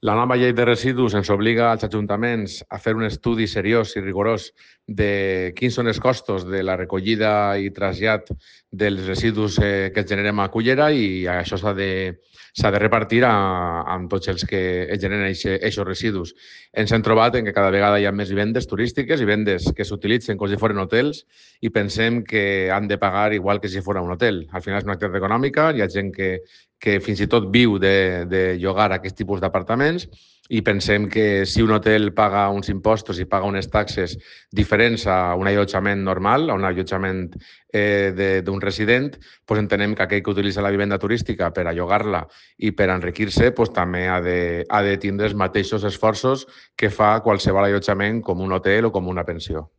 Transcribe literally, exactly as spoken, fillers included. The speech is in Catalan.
La nova llei de residus ens obliga als ajuntaments a fer un estudi seriós i rigorós de quins són els costos de la recollida i trasllat dels residus eh, que es generem a Cullera, i això s'ha de, s'ha de repartir a, amb tots els que es generen aquests residus. Ens hem trobat en que cada vegada hi ha més vivendes turístiques i vivendes que s'utilitzen com si foren hotels i pensem que han de pagar igual que si fos un hotel. Al final és una activitat econòmica, hi ha gent que, que fins i tot viu de, de llogar aquest tipus d'apartaments, i pensem que si un hotel paga uns impostos i paga unes taxes diferents a un allotjament normal, a un allotjament eh, d'un resident, doncs entenem que aquell que utilitza la vivenda turística per a llogar-la i per enriquir-se doncs també ha de, ha de tindre els mateixos esforços que fa qualsevol allotjament com un hotel o com una pensió.